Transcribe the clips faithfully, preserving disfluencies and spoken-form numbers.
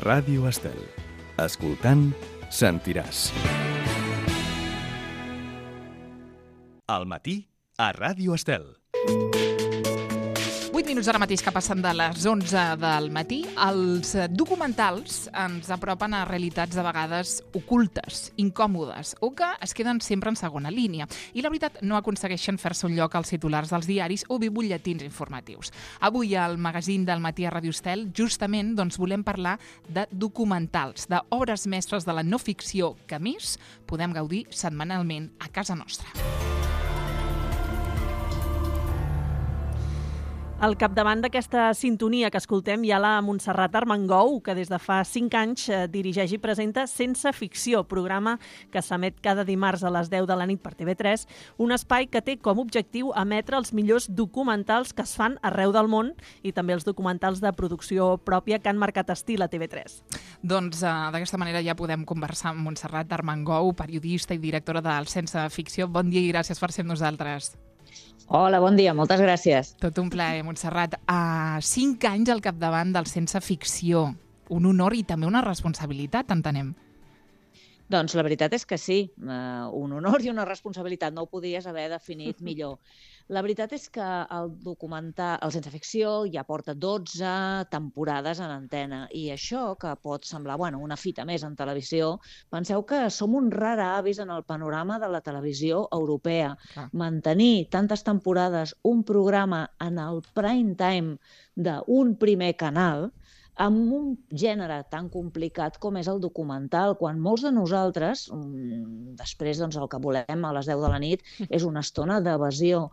Ràdio Estel. Escoltant, sentiràs. Al matí, a Ràdio Estel. vuit minuts ara mateix que passen de les onze del matí. Els documentals ens apropen a realitats de vegades ocultes, incòmodes, o que es queden sempre en segona línia. I la veritat, no aconsegueixen fer-se un lloc als titulars dels diaris o bé butlletins informatius. Avui al magazín del matí a Ràdio Estel, justament doncs, volem parlar de documentals, d'obres mestres de la no ficció que, a més, podem gaudir setmanalment a casa nostra. Al capdavant d'aquesta sintonia que escoltem hi ha la Montserrat Armengou, que des de fa cinc anys dirigeix i presenta Sense Ficció, programa que s'emet cada dimarts a les deu de la nit per T V tres, un espai que té com a objectiu emetre els millors documentals que es fan arreu del món i també els documentals de producció pròpia que han marcat estil a T V tres. Doncs uh, d'aquesta manera ja podem conversar amb Montserrat Armengou, periodista i directora del Sense Ficció. Bon dia i gràcies per ser amb nosaltres. Hola, bon dia, moltes gràcies. Tot un plaer, Montserrat. A cinc anys al capdavant del Sense Ficció. Un honor i també una responsabilitat, entenem. Doncs la veritat és que sí, uh, un honor i una responsabilitat, no ho podies haver definit millor. La veritat és que el documental, el Sense Ficció ja porta dotze temporades en antena i això, que pot semblar bueno, una fita més en televisió, penseu que som un rar avis en el panorama de la televisió europea. Ah. Mantenir tantes temporades un programa en el prime time d'un primer canal amb un gènere tan complicat com és el documental, quan molts de nosaltres, després doncs, el que volem a les deu de la nit, és una estona d'evasió.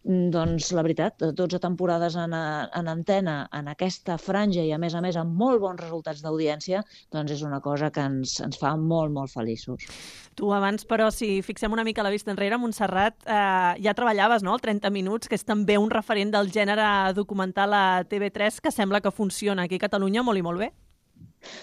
Doncs la veritat, dotze temporades en, en antena, en aquesta franja i a més a més amb molt bons resultats d'audiència, doncs és una cosa que ens, ens fa molt, molt feliços. Tu abans, però, si fixem una mica la vista enrere, Montserrat, eh, ja treballaves, no?, el trenta minuts, que és també un referent del gènere documental a T V tres que sembla que funciona aquí a Catalunya molt i molt bé.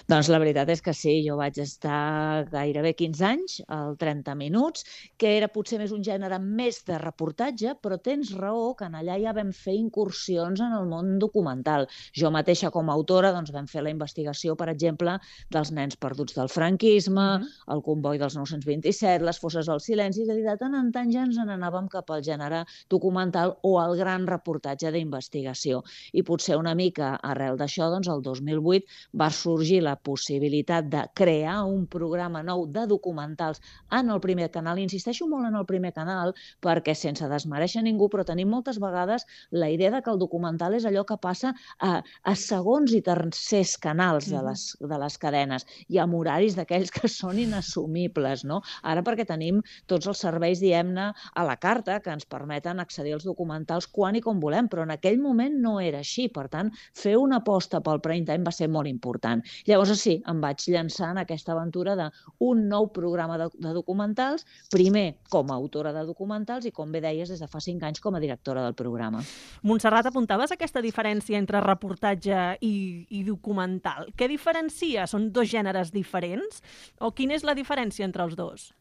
Doncs la veritat és que sí, jo vaig estar gairebé quinze anys al trenta minuts, que era potser més un gènere més de reportatge, però tens raó que en allà ja vam fer incursions en el món documental. Jo mateixa com a autora doncs, vam fer la investigació, per exemple, dels nens perduts del franquisme, mm-hmm. el comboi dels nou-cents vint-i-set, les fosses del silenci, és a dir, de tant en tant ja ens n'anàvem cap al gènere documental o al gran reportatge d'investigació. I potser una mica arrel d'això, doncs el dos mil vuit va sorgir la possibilitat de crear un programa nou de documentals en el primer canal. Insisteixo molt en el primer canal perquè, sense desmereixer ningú, però tenim moltes vegades la idea de que el documental és allò que passa a, a segons i tercers canals de les, de les cadenes i amb horaris d'aquells que són inassumibles, no? Ara perquè tenim tots els serveis, diguem-ne, a la carta que ens permeten accedir als documentals quan i com volem, però en aquell moment no era així. Per tant, fer una aposta pel prime time va ser molt important. Llavors, sí, em vaig llançar en aquesta aventura d'un nou programa de, de documentals, primer com a autora de documentals i, com bé deies, des de fa cinc anys com a directora del programa. Montserrat, apuntaves aquesta diferència entre reportatge i, i documental. Què diferencia? Són dos gèneres diferents? O quina és la diferència entre els dos?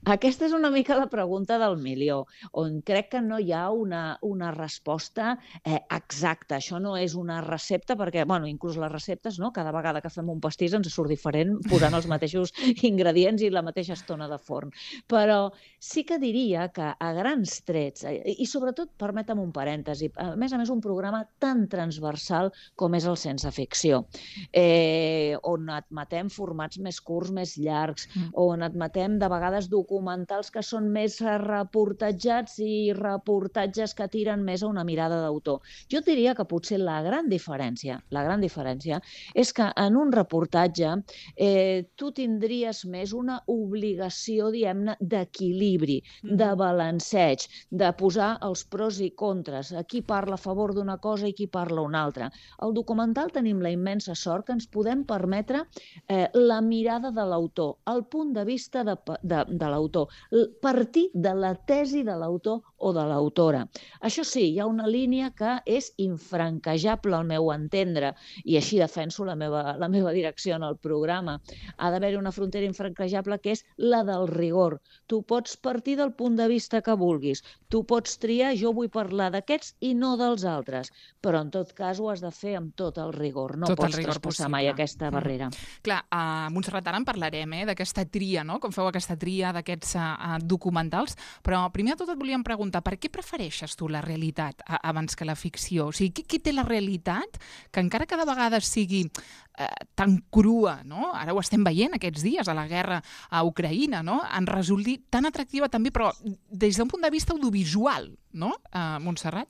Aquesta és una mica la pregunta del milió, on crec que no hi ha una, una resposta eh, exacta. Això no és una recepta, perquè, bueno, inclús les receptes, no? Cada vegada que fem un pastís ens surt diferent posant els mateixos ingredients i la mateixa estona de forn. Però sí que diria que a grans trets, eh, i sobretot, permetem un parèntesi, a més a més un programa tan transversal com és el Sense Ficció, eh, on admetem formats més curts, més llargs, mm. on admetem de vegades documentals documentals que són més reportatjats i reportatges que tiren més a una mirada d'autor. Jo diria que potser la gran diferència, la gran diferència és que en un reportatge eh, tu tindries més una obligació, diguem-ne, d'equilibri, de balanceig, de posar els pros i contres, a qui parla a favor d'una cosa i qui parla una altra. Al documental tenim la immensa sort que ens podem permetre eh, la mirada de l'autor, el punt de vista de, de, de l'autor, partir de la tesi de l'autor o de l'autora. Això sí, hi ha una línia que és infranquejable al meu entendre, i així defenso la meva, la meva direcció en el programa. Ha d'haver-hi una frontera infranquejable que és la del rigor. Tu pots partir del punt de vista que vulguis, tu pots triar, jo vull parlar d'aquests i no dels altres, però en tot cas ho has de fer amb tot el rigor, no tot pots rigor traspassar possible. mai aquesta barrera. Mm. Clar, a Montserrat, ara en parlarem, eh, d'aquesta tria, no? Com feu aquesta tria d'aquests uh, documentals, però primer de tot et volíem preguntar, per què prefereixes tu la realitat a, abans que la ficció? O sigui, què, què té la realitat que encara que de vegades sigui eh, tan crua, no? Ara ho estem veient aquests dies a la guerra a Ucraïna, no? En resulti tan atractiva també, però des d'un punt de vista audiovisual, no, uh, Montserrat?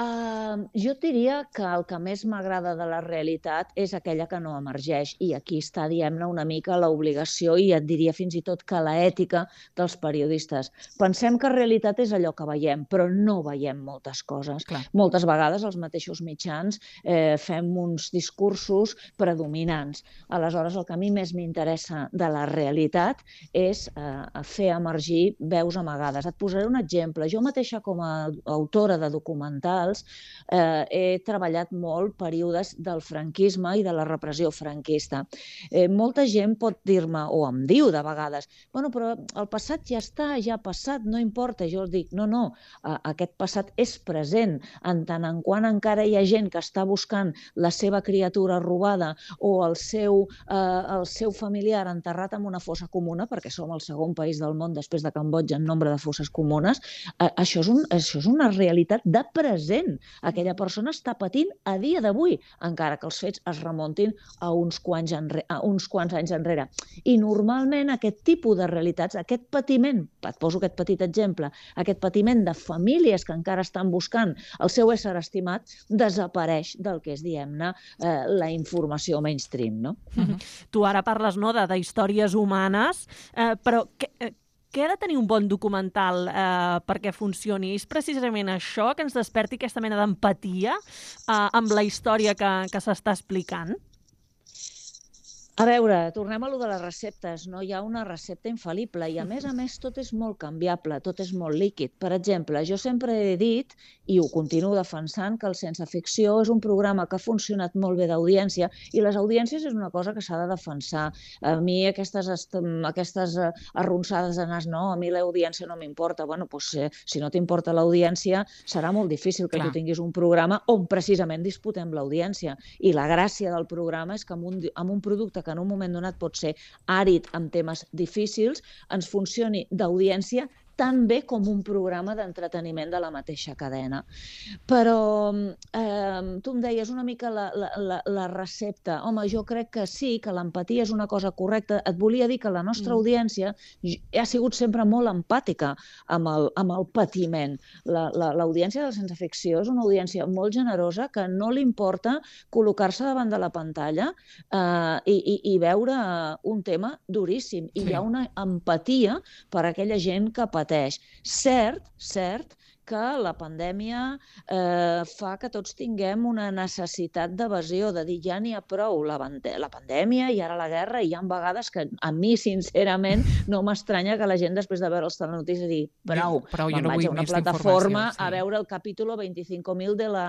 Uh, jo et diria que el que més m'agrada de la realitat és aquella que no emergeix, i aquí està, diguem-ne, una mica l'obligació i et diria fins i tot que l'ètica dels periodistes. Pensem que realitat és allò que veiem, però no veiem moltes coses. Clar. Moltes vegades els mateixos mitjans eh, fem uns discursos predominants. Aleshores, el que a mi més m'interessa de la realitat és eh, fer emergir veus amagades. Et posaré un exemple. Jo mateixa, com a autora de documentals, Eh, he treballat molt períodes del franquisme i de la repressió franquista. Eh, molta gent pot dir-me, o em diu de vegades, bueno, però el passat ja està, ja ha passat, no importa. Jo els dic, no, no, eh, aquest passat és present, en tant en quant encara hi ha gent que està buscant la seva criatura robada o el seu, eh, el seu familiar enterrat en una fossa comuna, perquè som el segon país del món després de Cambodja en nombre de fosses comunes, eh, això, és un, això és una realitat de present. Aquella persona està patint a dia d'avui, encara que els fets es remuntin a uns quants, enre... a uns quants anys enrere. I normalment aquest tipus de realitats, aquest patiment, et poso aquest petit exemple, aquest patiment de famílies que encara estan buscant el seu ésser estimat, desapareix del que és, diguem-ne, eh, la informació mainstream, no? Uh-huh. Tu ara parles, no, de, de històries humanes, eh, però què, eh, què ha de tenir un bon documental eh, perquè funcioni? És precisament això que ens desperti aquesta mena d'empatia eh, amb la història que, que s'està explicant? A veure, tornem a lo de les receptes. No hi ha una recepta infal·lible i, a més a més, tot és molt canviable, tot és molt líquid. Per exemple, jo sempre he dit, i ho continuo defensant, que el Sense Ficció és un programa que ha funcionat molt bé d'audiència, i les audiències és una cosa que s'ha de defensar. A mi aquestes, aquestes arronsades de nas, no, a mi l'audiència no m'importa. Bueno, doncs, eh, si no t'importa l'audiència, serà molt difícil que Clar. tu tinguis un programa on precisament disputem l'audiència. I la gràcia del programa és que amb un, amb un producte que en un moment donat pot ser àrid amb temes difícils, ens funcioni d'audiència tan bé com un programa d'entreteniment de la mateixa cadena. Però eh, tu em deies una mica la, la, la, la recepta. Home, jo crec que sí, que l'empatia és una cosa correcta. Et volia dir que la nostra mm. audiència ha sigut sempre molt empàtica amb el, amb el patiment. L'audiència del Sense Ficció és una audiència molt generosa que no li importa col·locar-se davant de la pantalla eh, i, i, i veure un tema duríssim. I sí. Hi ha una empatia per a aquella gent que pateix. Cert, cert, que la pandèmia eh, fa que tots tinguem una necessitat d'evasió, de dir ja n'hi ha prou, la, la pandèmia i ara la guerra, i hi ha vegades que a mi, sincerament, no m'estranya que la gent després de veure els telenotícies digui prou, prou me'n no vaig a una plataforma sí. a veure el capítol vint-i-cinc mil de la,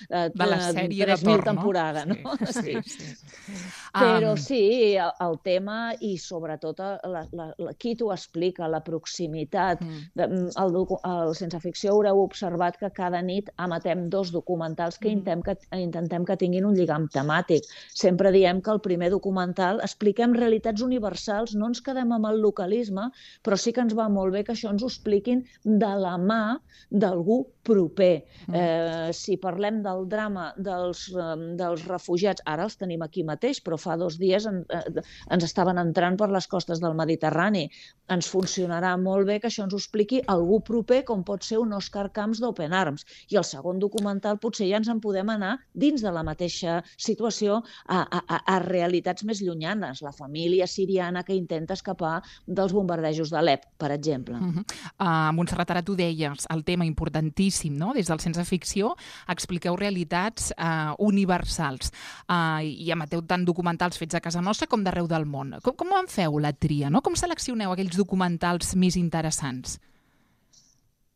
eh, de la sèrie de tres mil torn, temporada. No? No? Sí, sí, sí. Però um... sí, el, el tema i sobretot la, la, la, qui t'ho explica, la proximitat, mm. el, el Sense Ficció haureu observat que cada nit emetem dos documentals que, mm. intentem, que intentem que tinguin un lligam temàtic. Sempre diem que el primer documental expliquem realitats universals, no ens quedem amb el localisme, però sí que ens va molt bé que això ens ho expliquin de la mà d'algú proper. Mm. Eh, si parlem del drama dels, um, dels refugiats, ara els tenim aquí mateix, però fa dos dies en, eh, ens estaven entrant per les costes del Mediterrani. Ens funcionarà molt bé que això ens ho expliqui algú proper, com pot ser un Òscar Camps d'Open Arms. I el segon documental potser ja ens en podem anar dins de la mateixa situació a, a, a realitats més llunyanes. La família siriana que intenta escapar dels bombardejos d'Alep, per exemple. Uh -huh. uh, Montserrat, ara tu deies el tema importantíssim, no? Des del Sense Ficció expliqueu realitats uh, universals uh, i emeteu tant documentals fets a casa nostra com d'arreu del món. Com, com en feu la tria, no? Com seleccioneu aquells documentals més interessants?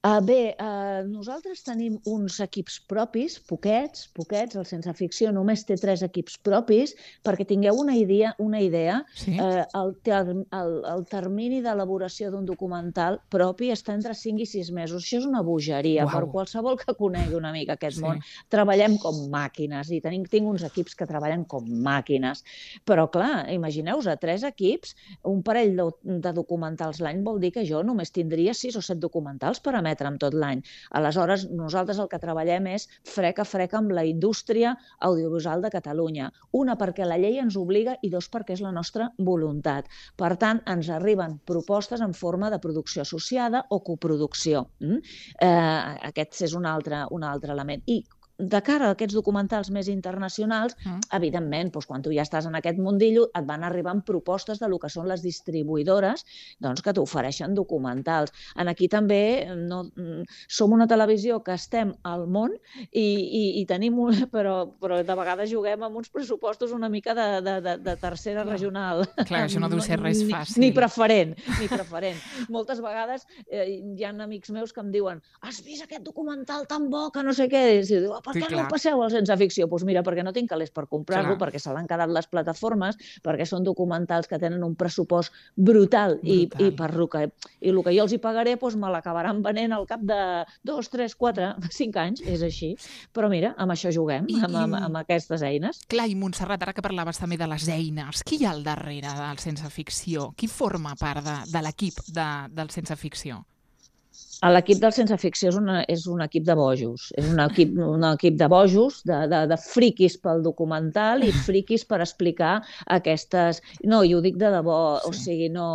Uh, bé, uh, nosaltres tenim uns equips propis, poquets, poquets, el Sense Ficció només té tres equips propis, perquè tingueu una idea, una idea Sí? uh, el, ter el, el termini d'elaboració d'un documental propi està entre cinc i sis mesos. Això és una bogeria. Uau. Per qualsevol que conegui una mica aquest Sí. món, treballem com màquines i tenim, tinc uns equips que treballen com màquines. Però, clar, imagineu-vos, a tres equips, un parell de, de documentals l'any vol dir que jo només tindria sis o set documentals per emetre amb tot l'any. Aleshores, nosaltres el que treballem és frec a frec amb la indústria audiovisual de Catalunya. Una, perquè la llei ens obliga, i dos, perquè és la nostra voluntat. Per tant, ens arriben propostes en forma de producció associada o coproducció. Mm? Eh, aquest és un altre, un altre element. I de cara a aquests documentals més internacionals, mm. evidentment, doncs, quan tu ja estàs en aquest mundillo, et van arribant propostes de lo que són les distribuïdores, doncs, que t'ofereixen documentals. En aquí també no, som una televisió que estem al món i, i, i tenim, un, però, però de vegades juguem amb uns pressupostos una mica de, de, de, de tercera no. regional. Clar, això no deu ser res fàcil. Ni, ni preferent, ni preferent. Moltes vegades eh, hi ha amics meus que em diuen has vist aquest documental tan bo que no sé què? I diu, per què sí, no passeu al Sense Ficció? Doncs mira, perquè no tinc calés per comprar-lo, perquè se l'han quedat les plataformes, perquè són documentals que tenen un pressupost brutal, brutal. I, i per lo que, i el que jo els hi pagaré doncs me l'acabaran venent al cap de dos, tres, quatre, cinc anys, és així. Però mira, amb això juguem, I, amb, amb, amb aquestes eines. Clar, i Montserrat, ara que parlaves també de les eines, qui hi ha al darrere del Sense Ficció? Qui forma part de, de l'equip de, del Sense Ficció? L'equip del Sense Ficció és, una, és un equip de bojos. És un equip, un equip de bojos, de, de, de friquis pel documental i friquis per explicar aquestes... No, i ho dic de debò, sí. O sigui, no,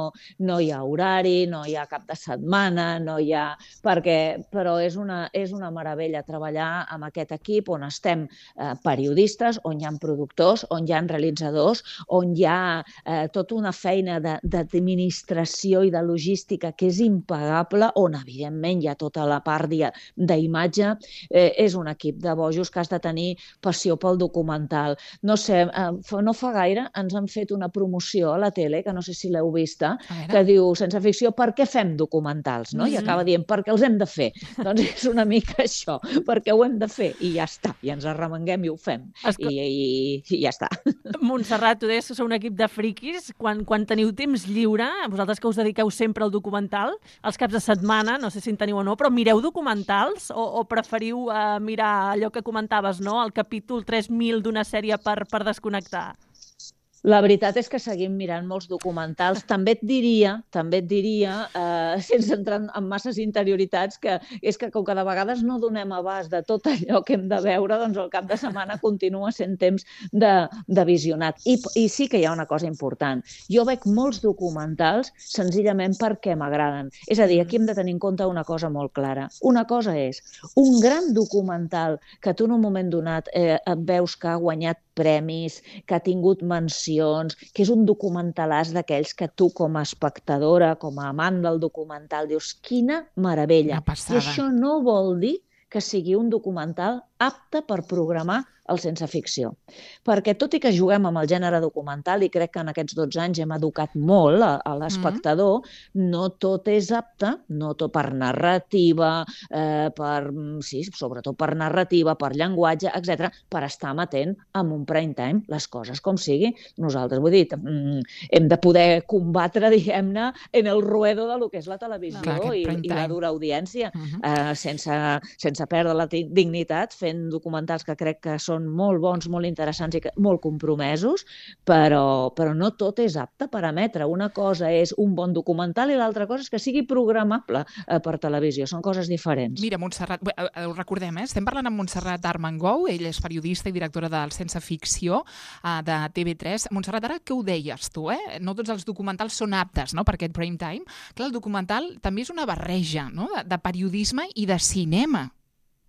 no hi ha horari, no hi ha cap de setmana, no hi ha... Perquè, però és una, és una meravella treballar amb aquest equip on estem eh, periodistes, on hi ha productors, on hi ha realitzadors, on hi ha eh, tota una feina d'administració i de logística que és impagable, on, evidentment, hi ha tota la part d'imatge, eh, és un equip de bojos que has de tenir passió pel documental. No sé, eh, no fa gaire ens han fet una promoció a la tele, que no sé si l'heu vista, que diu, Sense Ficció, per què fem documentals? No? Mm-hmm. I acaba dient, perquè els hem de fer. Doncs és una mica això, perquè ho hem de fer, i ja està, i ens arremenguem i ho fem, Esco... I, i, i ja està. Montserrat, tu deies que sou un equip de friquis, quan, quan teniu temps lliure, vosaltres que us dediqueu sempre al documental, els caps de setmana, no sé si en teniu o no, però mireu documentals o, o preferiu uh, mirar allò que comentaves, no? El capítol tres mil d'una sèrie per, per desconnectar? La veritat és que seguim mirant molts documentals. També et diria, també et diria, eh, sense entrar en masses interioritats, que és que com que de vegades no donem abast de tot allò que hem de veure, doncs el cap de setmana continua sent temps de, de visionat. I, I sí que hi ha una cosa important. Jo veig molts documentals senzillament perquè m'agraden. És a dir, aquí hem de tenir en compte una cosa molt clara. Una cosa és un gran documental que tu en un moment donat eh, et veus que ha guanyat premis, que ha tingut mencions, que és un documentalàs d'aquells que tu com a espectadora, com a amant del documental, dius, quina meravella. I això no vol dir que sigui un documental apte per programar el Sense Ficció. Perquè tot i que juguem amb el gènere documental, i crec que en aquests dotze anys hem educat molt a, a l'espectador, mm-hmm. no tot és apte, no tot per narrativa, eh, per, sí, sobretot per narrativa, per llenguatge, etcètera, per estar amatent amb un prime time, les coses com sigui. Nosaltres, vull dir, hem de poder combatre, diguem-ne, en el ruedo de lo que és la televisió no, i, i la dura audiència, mm-hmm. eh, sense, sense perdre la dignitat, fent documentals que crec que són molt bons, molt interessants i molt compromesos, però, però no tot és apte per emetre. Una cosa és un bon documental i l'altra cosa és que sigui programable eh, per televisió. Són coses diferents. Mira, Montserrat, ho recordem, eh? Estem parlant amb Montserrat Armengou, ell és periodista i directora del Sense Ficció eh, de T V tres. Montserrat, ara què ho deies tu, eh? No tots els documentals són aptes, no?, per aquest prime time. Clar, el documental també és una barreja, no?, de, de periodisme i de cinema.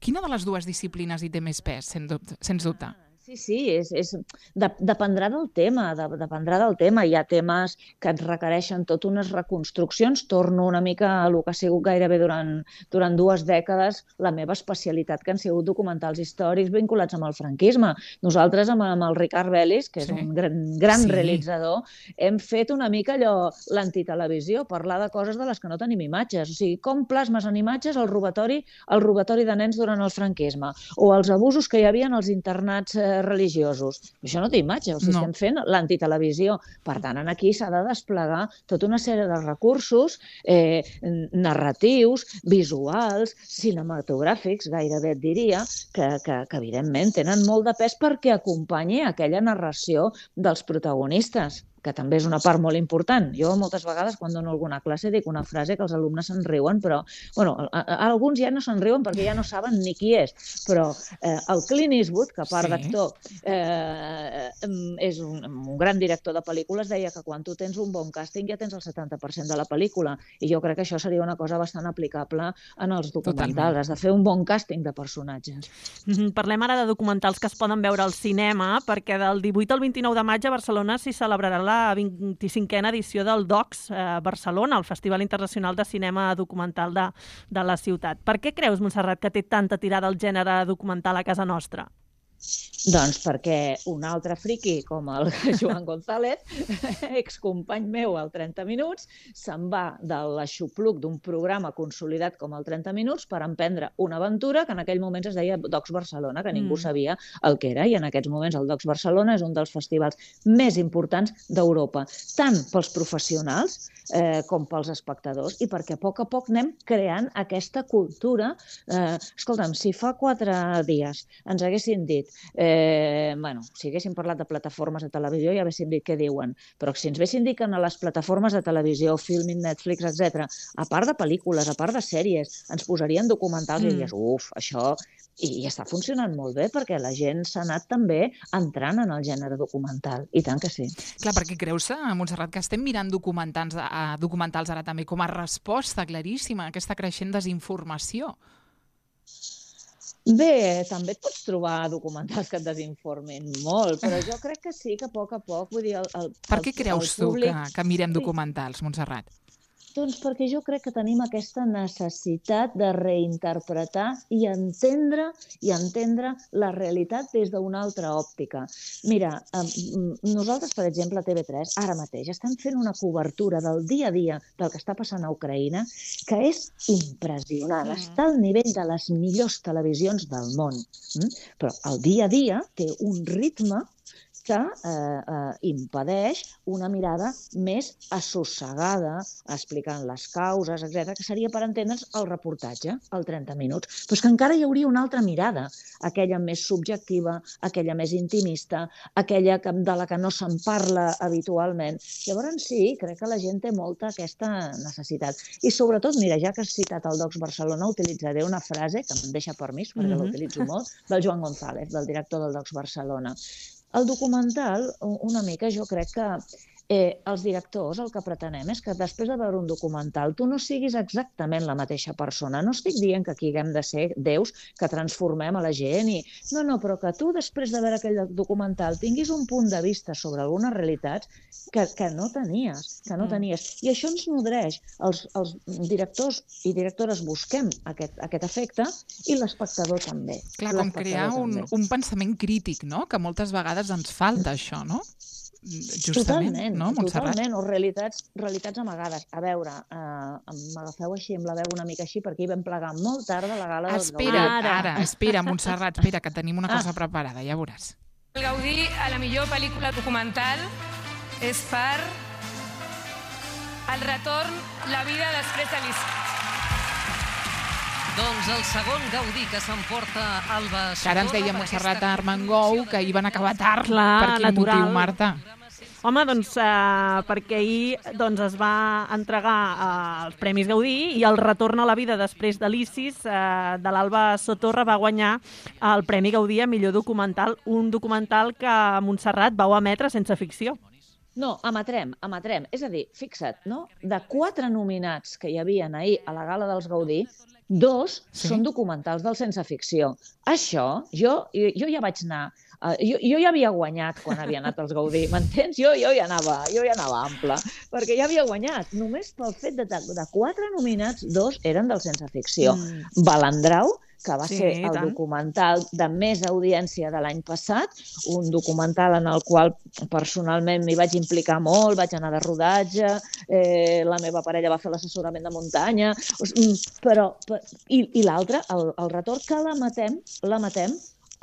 Quina de les dues disciplines hi té més pes, sens dubte? Sens dubte? Sí, sí, és, és, de, dependrà del tema, de, dependrà del tema. Hi ha temes que et requereixen tot unes reconstruccions. Torno una mica a el que ha sigut gairebé durant, durant dues dècades la meva especialitat, que han sigut documentals històrics vinculats amb el franquisme. Nosaltres, amb, amb el Ricard Bellis, que és sí. un gran, gran sí. realitzador, hem fet una mica allò, l'antitelevisió, parlar de coses de les que no tenim imatges. O sigui, com plasmes en imatges el robatori, el robatori de nens durant el franquisme, o els abusos que hi havia en els internats eh, religiosos. Això no té imatge, o sigui, no. estem fent l'antitelevisió. Per tant, aquí s'ha de desplegar tota una sèrie de recursos eh, narratius, visuals, cinematogràfics, gairebé et diria, que, que, que evidentment tenen molt de pes perquè acompanyi aquella narració dels protagonistes, que també és una part molt important. Jo moltes vegades quan dono alguna classe dic una frase que els alumnes se'n riuen, però bueno, a, a, alguns ja no se'n riuen perquè ja no saben ni qui és, però eh, el Clint Eastwood, que a part sí. d'actor eh, és un, un gran director de pel·lícules, deia que quan tu tens un bon càsting ja tens el setanta per cent de la pel·lícula, i jo crec que això seria una cosa bastant aplicable en els documentals. Totalment. Has de fer un bon càsting de personatges. Mm-hmm. Parlem ara de documentals que es poden veure al cinema, perquè del divuit al vint-i-nou de maig a Barcelona s'hi celebrarà la vint-i-cinquena edició del DOCS eh, Barcelona, el Festival Internacional de Cinema Documental de, de la ciutat. Per què creus, Montserrat, que té tanta tirada el gènere documental a casa nostra? Doncs perquè un altre friqui com el Joan González, excompany meu al trenta minuts, se'n va de l'aixopluc d'un programa consolidat com el trenta minuts per emprendre una aventura que en aquell moments es deia DOCS Barcelona, que ningú mm. sabia el que era, i en aquests moments el DOCS Barcelona és un dels festivals més importants d'Europa, tant pels professionals eh, com pels espectadors, i perquè a poc a poc anem creant aquesta cultura. Eh, escolta'm, si fa quatre dies ens haguessin dit Eh, bueno, si haguéssim parlat de plataformes de televisió ja haguéssim dit què diuen, però si ens haguessin dit que a les plataformes de televisió, Filmin, Netflix, etcètera, a part de pel·lícules, a part de sèries, ens posarien documentals mm. i diries, uf, això... I, i està funcionant molt bé perquè la gent s'ha anat també entrant en el gènere documental, i tant que sí. Clar, perquè creus, Montserrat, que estem mirant documentals, a, documentals ara també com a resposta claríssima a aquesta creixent desinformació? Bé, també et pots trobar documentals que et desinformin molt, però jo crec que sí, que a poc a poc... Vull dir, el, el, per què el, creus el públic... tu que, que mirem documentals, Montserrat? Doncs perquè jo crec que tenim aquesta necessitat de reinterpretar i entendre i entendre la realitat des d'una altra òptica. Mira, nosaltres, per exemple, a T V tres, ara mateix, estem fent una cobertura del dia a dia del que està passant a Ucraïna que és impressionant. Està al nivell de les millors televisions del món. Però el dia a dia té un ritme que eh, eh, impedeix una mirada més assossegada, explicant les causes, etcètera, que seria per entendre'ns el reportatge, el trenta minuts. Però és que encara hi hauria una altra mirada, aquella més subjectiva, aquella més intimista, aquella que, de la que no se'n parla habitualment. Llavors sí, crec que la gent té molta aquesta necessitat. I sobretot, mira, ja que has citat el DOCS Barcelona, utilitzaré una frase, que em deixa permís, perquè mm-hmm. l'utilitzo molt, del Joan González, del director del DOCS Barcelona. El documental, una mica, jo crec que eh, els directors el que pretenem és que després de veure un documental tu no siguis exactament la mateixa persona. No estic dient que aquí haguem de ser déus que transformem a la gent, i... no, no, però que tu després de veure aquell documental tinguis un punt de vista sobre algunes realitats que, que no tenies, que no tenies. I això ens nodreix. Els, els directors i directores busquem aquest, aquest efecte, i l'espectador també. Clar, com crear un, un pensament crític, no? Que moltes vegades ens falta això, no? Justament, totalment, no, Montserrat? Totalment, o realitats, realitats amagades. A veure, eh, m'agafeu així amb la veu una mica així, perquè hi vam plegar molt tard a la gala del Gaudí. Espera, ara, ara, espera, Montserrat, espera, que tenim una cosa ah. preparada, ja veuràs. El Gaudí a la millor pel·lícula documental és per El retorn, la vida després de l'Isis. Doncs el segon Gaudí que s'emporta Alba Sotorra. Que ara ens deia Montserrat Armengou que hi van acabar tard. Clar, per quin natural. motiu, Marta? Home, doncs uh, perquè ahir doncs, es va entregar uh, els Premis Gaudí, i el retorn a la vida després de l'Isis uh, de l'Alba Sotorra va guanyar el Premi Gaudí a millor documental, un documental que Montserrat vau emetre sense ficció. No, emetrem, emetrem. És a dir, fixa't, no? De quatre nominats que hi havia ahir a la gala dels Gaudí, dos sí. són documentals del sense ficció. Això, jo, jo ja vaig anar Uh, jo, jo ja havia guanyat quan havia anat als Gaudí, m'entens? Jo, jo, ja anava, jo ja anava ample, perquè ja havia guanyat. Només pel fet de, de quatre nominats, dos eren del Sense Ficció. Mm. Balandrau, que va sí, ser el tant. documental de més audiència de l'any passat, un documental en el qual personalment m'hi vaig implicar molt, vaig anar de rodatge, eh, la meva parella va fer l'assessorament de muntanya, però, però i, i l'altre, el, el retorn, que la matem, la matem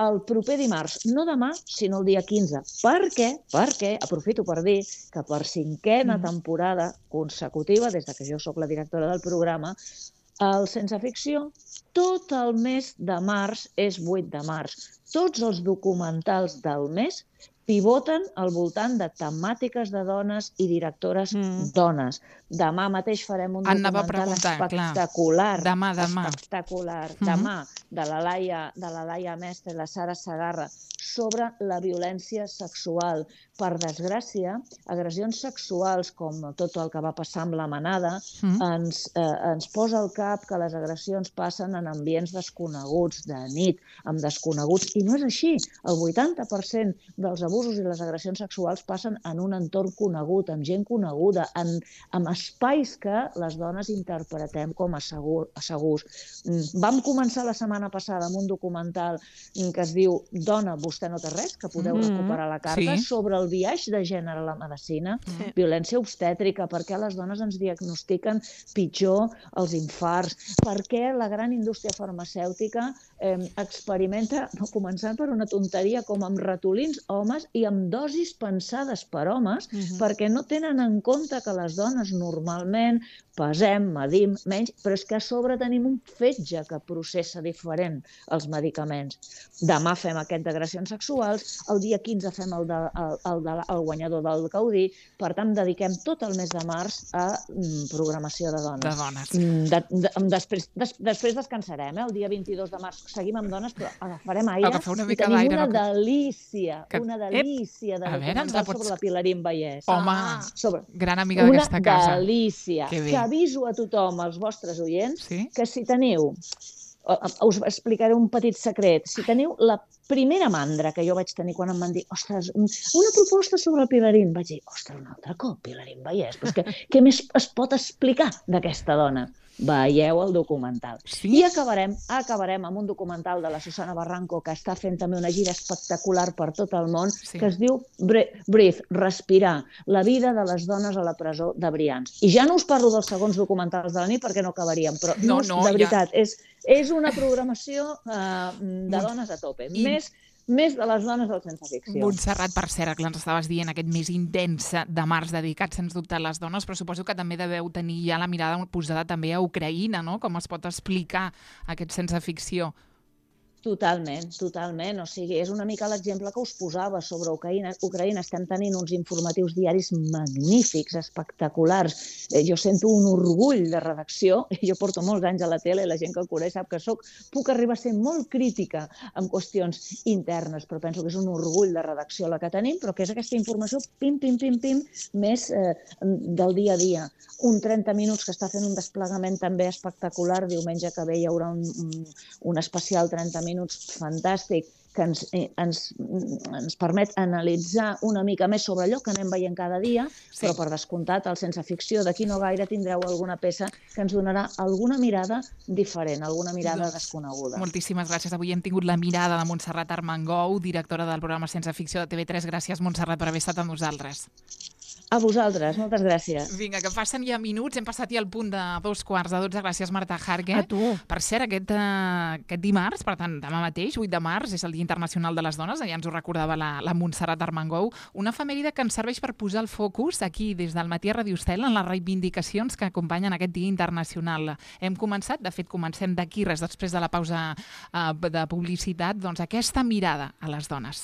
el proper dimarts, no demà, sinó el dia quinze. Per què? Perquè, aprofito per dir que per cinquena mm. temporada consecutiva, des de que jo sóc la directora del programa, el Sense Ficció, tot el mes de març és vuit de març. Tots els documentals del mes pivoten al voltant de temàtiques de dones i directores mm. dones. Demà mateix farem un Anava documental espectacular. Clar. Demà, demà. Espectacular. Mm. Demà, de la Laia, de la Laia Mestre i la Sara Segarra, sobre la violència sexual. Per desgràcia, agressions sexuals, com tot el que va passar amb la manada, mm. ens, eh, ens posa al cap que les agressions passen en ambients desconeguts, de nit, amb desconeguts, i no és així. El vuitanta per cent dels abusos i les agressions sexuals passen en un entorn conegut, amb gent coneguda, en, en espais que les dones interpretem com a, segur, a segurs. Vam començar la setmana passada amb un documental que es diu Dona, vostè no té res, que podeu mm-hmm. recuperar la carta, sí. sobre el biaix de gènere a la medicina, sí. violència obstètrica, per què les dones ens diagnostiquen pitjor els infarts, per què la gran indústria farmacèutica eh, experimenta, començant per una tonteria com amb ratolins homes i amb dosis pensades per homes, mm-hmm. perquè no tenen en compte que les dones normalment pesem, medim menys, però és que a sobre tenim un fetge que processa diferent els medicaments. Demà fem aquest d'agressions sexuals, el dia quinze fem el, de, el, el, de, el guanyador del Gaudí, per tant dediquem tot el mes de març a mm, programació de dones. De dones. De, de, després, des, després descansarem, eh? El dia vint-i-dos de març seguim amb dones, però agafarem aire Agafar una i mica tenim d'aire, una no? delícia, que... una delícia de documental pots... sobre la Pilarín Vallès. Home, ah, sobre... gran amiga d'aquesta casa. Una delícia, que, que aviso a tothom, als vostres oients, sí? que si teniu, us explicaré un petit secret, si teniu la primera mandra que jo vaig tenir quan em van dir, ostres, una proposta sobre el Pilarín, vaig dir, ostres, un altre cop, Pilarín Vallès, però és que què més es pot explicar d'aquesta dona? Veieu el documental. Sí? I acabarem, acabarem amb un documental de la Susana Barranco, que està fent també una gira espectacular per tot el món, sí. que es diu Breathe, respirar, la vida de les dones a la presó de Brians. I ja no us parlo dels segons documentals de la nit perquè no acabaríem, però no, no, de veritat, ja... és, és una programació uh, de dones a tope. I... Més... Més de les dones del Sense Ficció. Montserrat, per cert, que ens estaves dient aquest mes intens de març dedicat, sens dubte, a les dones, però suposo que també deveu tenir ja la mirada posada també a Ucraïna, no? Com es pot explicar aquest Sense Ficció? Totalment, totalment. O sigui, és una mica l'exemple que us posava sobre Ucraïna. Ucraïna estem tenint uns informatius diaris magnífics, espectaculars. Jo sento un orgull de redacció. Jo porto molts anys a la tele i la gent que el coneix sap que soc, puc arribar a ser molt crítica en qüestions internes, però penso que és un orgull de redacció la que tenim, però que és aquesta informació pim, pim, pim, pim, més eh, del dia a dia. Un trenta minuts que està fent un desplegament també espectacular. Diumenge que ve hi haurà un, un, un especial trenta minuts fantàstic que ens, ens, ens permet analitzar una mica més sobre allò que anem veient cada dia, sí. però per descomptat, el Sense Ficció d'aquí no gaire tindreu alguna peça que ens donarà alguna mirada diferent, alguna mirada doncs, desconeguda. Moltíssimes gràcies. Avui hem tingut la mirada de Montserrat Armengou, directora del programa Sense Ficció de T V tres. Gràcies, Montserrat, per haver estat amb nosaltres. A vosaltres, moltes gràcies. Vinga, que passen ja minuts, hem passat ja al punt de dos quarts de dotze. Gràcies, Marta Jarque. A tu. Per cert, aquest, uh, aquest dimarts, per tant, demà mateix, vuit de març, és el Dia Internacional de les Dones, ja ens ho recordava la, la Montserrat Armengou, una efemèride que ens serveix per posar el focus aquí, des del matí a Ràdio Estel, en les reivindicacions que acompanyen aquest Dia Internacional. Hem començat, de fet, comencem d'aquí, res després de la pausa uh, de publicitat, doncs aquesta mirada a les dones.